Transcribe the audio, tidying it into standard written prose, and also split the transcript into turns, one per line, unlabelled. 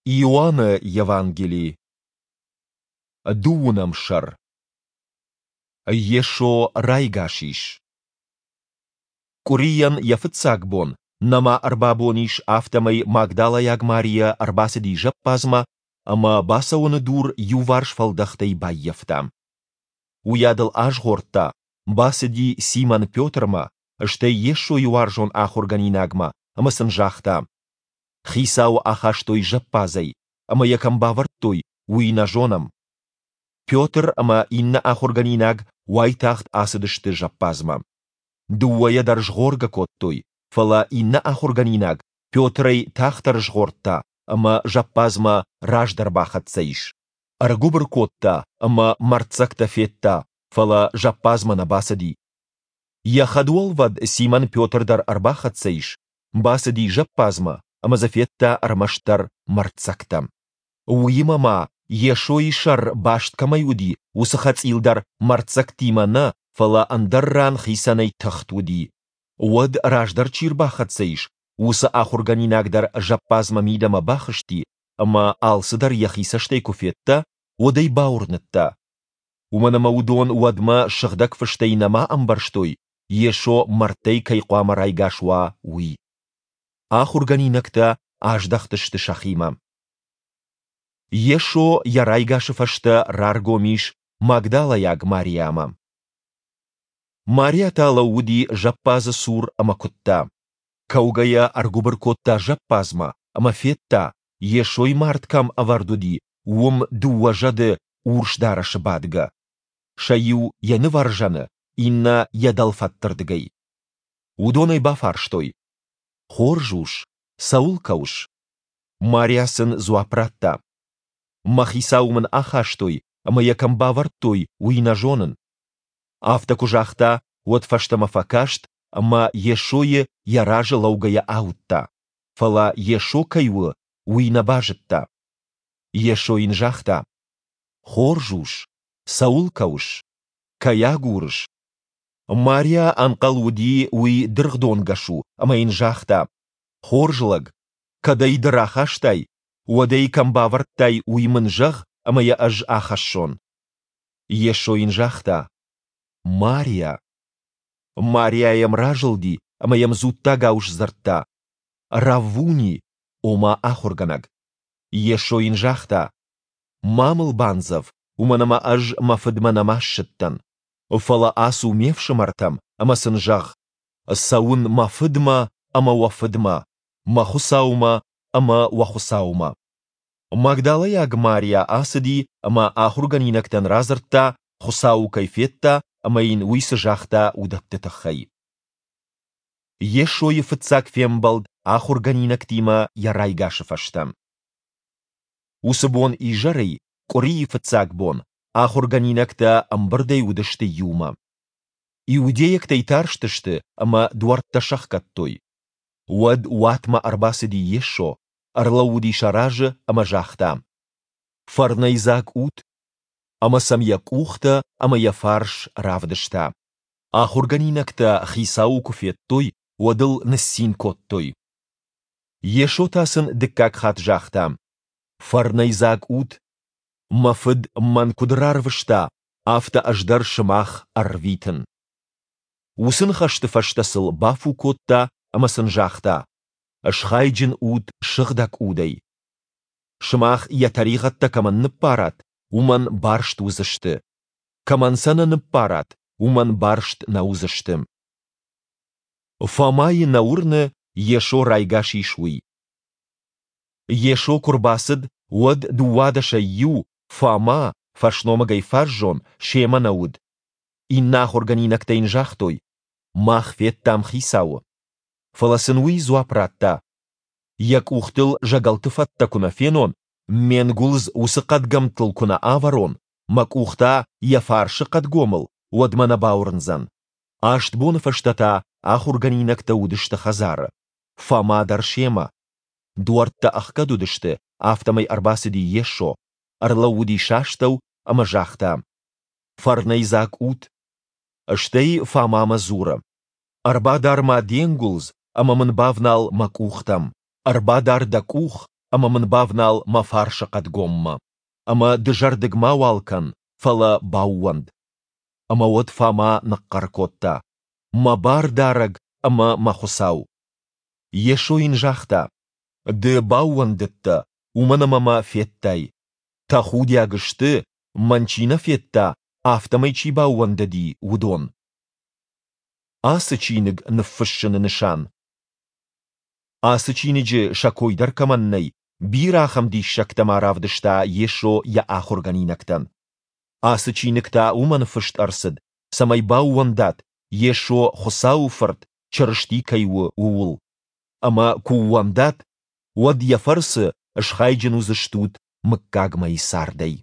Иоанны Евангели, дыууынӕм сӕр. Йесо райгас ис. Къуырийӕн йӕ фыццаг бон, нӕма ӕрбабон ис, афтӕмӕй магдалӕйаг Мариа ӕрбацыди зӕппадзмӕ ӕмӕ бацӕуӕны дур иуварс фӕлдӕхтӕй баййӕфта. Уыйадыл азгъордта, бацыди Симон Петрмӕ, стӕй Йесойы уарзон ахуыргӕнинагмӕ ӕмӕ сын загъта: Хицауы ахастой зӕппадзӕй, ӕмӕ йӕ кӕм бавӕрдтой, уый нӕ зонӕм. Петр ӕмӕ иннӕ ахуыргӕнинаг уайтагъд ацыдысты зӕппадзмӕ. Дыууӕйӕ дӕр згъоргӕ кодтой, фӕлӕ иннӕ ахуыргӕнинаг Петрӕй тагъддӕр згъордта ӕмӕ зӕппадзмӕ раздӕр бахӕццӕ ис. Ӕргуыбыр кодта ӕмӕ мӕрддзӕгтӕ федта, фӕлӕ зӕппадзмӕ нӕ бацыди. Йӕ хӕдуӕлвӕд Симон Петр дӕр ӕрбахӕццӕ ис, бацыди зӕппадзмӕ ӕмӕ дзы федта ӕрмӕстдӕр мӕрддзӕгтӕ. Уыимӕ ма, Йесойы сӕр баст кӕмӕй уыди, уыцы хӕцъил дӕр мӕрддзӕгтимӕ нӕ, фӕлӕ ӕндӕр ран хицӕнӕй тыхт уыди. Уӕд раздӕр чи рбахӕццӕ ис, уыцы ахуыргӕнинаг дӕр зӕппадзмӕ мидӕмӕ бахызти ӕмӕ алцыдӕр йӕхи цӕстӕй куы федта, уӕд ӕй бауырныдта. Уымӕн ӕмӕ уыдон уӕдмӕ сыгъдӕг фыстӕй нӕма ӕмбӕрстой, Йесо мӕрдтӕй кӕй хъуамӕ райгас уа, уый. Ахуыргӕнинӕгтӕ аздӕхтысты сӕхимӕ. Йесо йӕ райгасы фӕстӕ раргом ис магдалӕйаг Мариамӕ. Мариа та лӕууыди зӕппадзы цур ӕмӕ куыдта. Кӕугӕйӕ ӕргуыбыр кодта зӕппадзмӕ ӕмӕ федта, Йесойы мард кӕм ӕвӕрд уыди, уым дыууӕ зӕды урс дарӕсы бадгӕ. Сӕ иу йӕ нывӕрзӕны, иннӕ йӕ дӕлфӕдтырдыгӕй. Уыдон ӕй бафарстой: Хорз ус, цӕуыл кӕуыс? Мариа сын дзуапп радта: Мӕ хицауы мын ахастой ӕмӕ йӕ кӕм бавӕрдтой, уый нӕ зонын. Афтӕ куы загъта, уӕд фӕстӕмӕ фӕкаст ӕмӕ Йесойы йӕ разы лӕугӕйӕ ауыдта, фӕлӕ Йесо кӕй у, уый нӕ базыдта. Йесо йын загъта: Хорз ус, цӕуыл кӕуыс? Кӕй агурыс? Мариа ӕнхъӕл уыди, уый дыргъдонгӕс у, ӕмӕ йын загъта: Хорз лӕг, кӕд ӕй ды рахастай, уӕд ӕй кӕм бавӕрдтай, уый мын зӕгъ, ӕмӕ йӕ ӕз ахӕссон. Йесо йын загъта: Мариа. Мариа йӕм разылди ӕмӕ йӕм дзуттагау сдзырдта: Раввуни, ома ахуыргӕнӕг. Йесо йын загъта: Ма мыл бандзӕв, уымӕн ӕмӕ ӕз мӕ фыдмӕ нӕма ссыдтӕн. Фӕлӕ ацу ме фсымӕртӕм ӕмӕ сын зӕгъ: Цӕуын мӕ фыдмӕ ӕмӕ уӕ фыдмӕ, мӕ Хуыцаумӕ ӕмӕ уӕ Хуыцаумӕ. Магдалӕйаг Мариа ацыди ӕмӕ ахуыргӕнинӕгтӕн радзырдта, Хуыцауы кӕй федта ӕмӕ йын уый цы загъта, уыдӕтты тыххӕй. Йесойы фыццаг фембӕлд ахуыргӕнинӕгтимӕ йӕ райгасы фӕстӕ. Уыцы бон изӕрӕй, къуырийы фыццаг бон, ахуыргӕнинӕгтӕ ӕмбырдӕй уыдысты иумӕ. Иудейӕгтӕй тарстысты ӕмӕ дуӕрттӕ сӕхгӕдтой. Уӕд уатмӕ ӕрбацыди Йесо, ӕрлӕууыди сӕ разы ӕмӕ загъта: Фӕрнӕйдзаг ут! Ӕмӕ сӕм йӕ къухтӕ ӕмӕ йӕ фарс равдыста. Ахуыргӕнинӕгтӕ Хицауы куы федтой, уӕд ыл ныццин кодтой. Йесо та сын дыккаг хатт загъта: Фӕрнӕйдзаг ут! Мӕ Фыд мӕн куыд рарвыста, афтӕ ӕз дӕр сымах ӕрвитын. Уыцы ныхӕсты фӕстӕ сыл бафу кодта ӕмӕ сын загъта: Схайджын ут Сыгъдӕг Удӕй. Сымах йӕ тӕригъӕдтӕ кӕмӕн ныббарат, уымӕн барст уыдзысты. Кӕмӕн сӕ нӕ ныббарат, уымӕн барст нӕ уыдзысты. Фомайы нӕ уырны, Йесо райгас ис, уый. Йесо куы рбацыд, уӕд дыууадӕсӕй иу, Фома, фӕсномыгӕй фаззон, семӕ нӕ уыд. Иннӕ ахуыргӕнинӕгтӕ йын загътой: Мах федтам Хицауы. Фӕлӕ сын уый дзуапп радта: Йӕ къухтыл зӕгӕлты фӕдтӕ куы нӕ фенон, ме нгуылдз уыцы хъӕдгӕмттыл куы нӕ авӕрон, мӕ къух та йӕ фарсы хъӕдгомыл, уӕд мӕ нӕ бауырндзӕн. Аст боны фӕстӕ та ахуыргӕнинӕгтӕ уыдысты хӕдзары, Фома дӕр семӕ. Дуӕрттӕ ӕхгӕд уыдысты, афтӕмӕй ӕрбацыди Йесо, ӕрлӕууыди сӕ астӕу ӕмӕ загъта: Фӕрнӕйдзаг ут! Стӕй Фомамӕ дзуры: Ӕрбадар-ма де нгуылдз ӕмӕ мын бавнал мӕ къухтӕм, ӕрбадар дӕ къух. ӕмӕ мын бавнал мӕ фарсы хъӕдгоммӕ. Ӕмӕ дызӕрдыг мауал кӕн, фӕлӕ баууӕнд. Ӕмӕ уӕд Фома ныхъхъӕр кодта, Мӕ Бардарӕг ӕмӕ мӕ Хуыцау! Йесо йын загъта, Ды баууӕндыдтӕ, уымӕн ӕмӕ мӕ федтай. Тӕхудиаг сты, мӕн чи нӕ федта, афтӕмӕй чи баууӕндыди, уыдон. Ацы чиныг ныффыссыны нысан. Ацы чиныджы сӕ кой дӕр кӕмӕн нӕй, бирӕ ахӕм диссӕгтӕ ма равдыста Йесо йӕ ахуыргӕнинӕгтӕн. Ацы чиныг та уымӕн фыст ӕрцыд, цӕмӕй баууӕндат, Йесо Хуыцауы Фырт, Чырысти кӕй у, ууыл. Ӕмӕ куы ууӕндат, уӕд йӕ фӕрцы схайджын уыдзыстут мыггагмӕйы цардӕй.